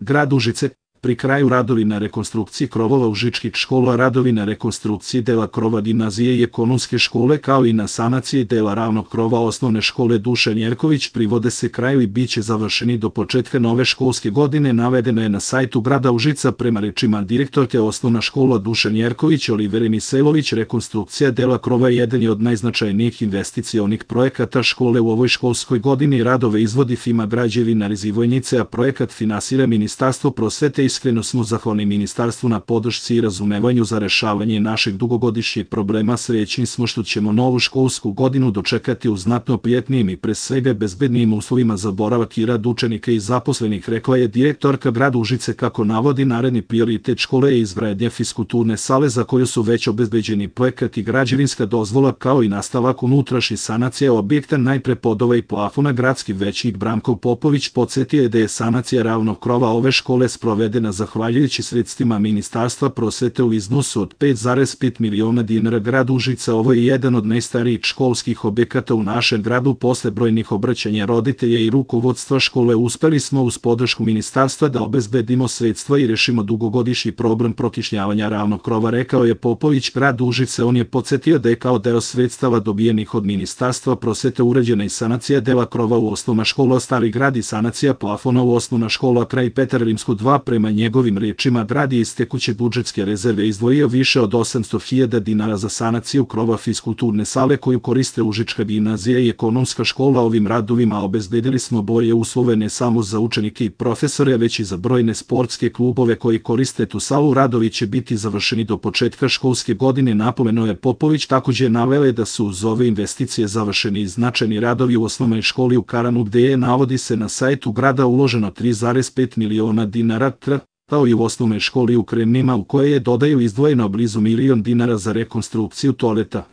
Grad Užice, pri kraju radovi na rekonstrukciji krovova užičkih škola, radovi na rekonstrukciji dela krova gimnazije i ekonomske škole, kao i na sanaciji dela ravnog krova osnovne škole Dušan Jerković, privode se kraju i bit će završeni do početka nove školske godine, navedeno je na sajtu grada Užica. Prema rečima direktorke osnovna škola Dušan Jerković Olivere Misailović, rekonstrukcija dela krova jedan je od najznačajnijih investicionih projekata škole u ovoj školskoj godini. Radove izvodi firma Građevina Rizivojnice, a projekat finansira Ministarstvo prosvete. Iskreno smo zahvalni ministarstvu na podršci i razumevanju za rešavanje naših dugogodišnjih problema. Srećni smo što ćemo novu školsku godinu dočekati u znatno prijetnijim i pre svega bezbednijim uslovima za boravak i rad učenika i zaposlenih, rekla je direktorka grada Užice. Kako navodi, naredni prioritet škole je izgradnja fiskulturne sale za koju su već obezbeđeni projekat i građevinska dozvola, kao i nastavak unutrašnje sanacije objekta, najpre podova i plafona. Gradski većnik Branko Popović podsjetio je da je sanacija ravnog krova ove škole sprovedena zahvaljujući sredstvima Ministarstva prosvete u iznosu od 5,5 miliona dinara. Grad Užice, ovo je jedan od najstarijih školskih objekata u našem gradu. Posle brojnih obraćanja roditelja i rukovodstva škole uspeli smo uz podršku ministarstva da obezbedimo sredstva i rešimo dugogodišnji problem prokišnjavanja ravnog krova, rekao je Popović. Grad Užice, on je podsjetio da je kao deo sredstava dobijenih od Ministarstva prosvete urađena i sanacija dela krova u osnovna škola Stari grad i sanacija plafona u osnovna škola Kraj Petar Rimsko 2. Prema njegovim rečima, grad je iz tekuće budžetske rezerve izdvojio više od 800.000 dinara za sanaciju krova fiskulturne sale koju koriste Užička gimnazija i ekonomska škola. Ovim radovima obezbedili smo bolje uslove ne samo za učenike i profesore, već i za brojne sportske klubove koji koriste tu salu. Radovi će biti završeni do početka školske godine, napomenuo je Popović. Takođe navele da su uz ove investicije završeni i značajni radovi u osnovnoj školi u Karanu, gde je, navodi se na sajtu grada, uloženo 3,5 miliona dinara, kao i u osnovnoj školi u Kremnima, u kojoj je, dodaju, izdvojeno blizu 1 milion dinara za rekonstrukciju toaleta.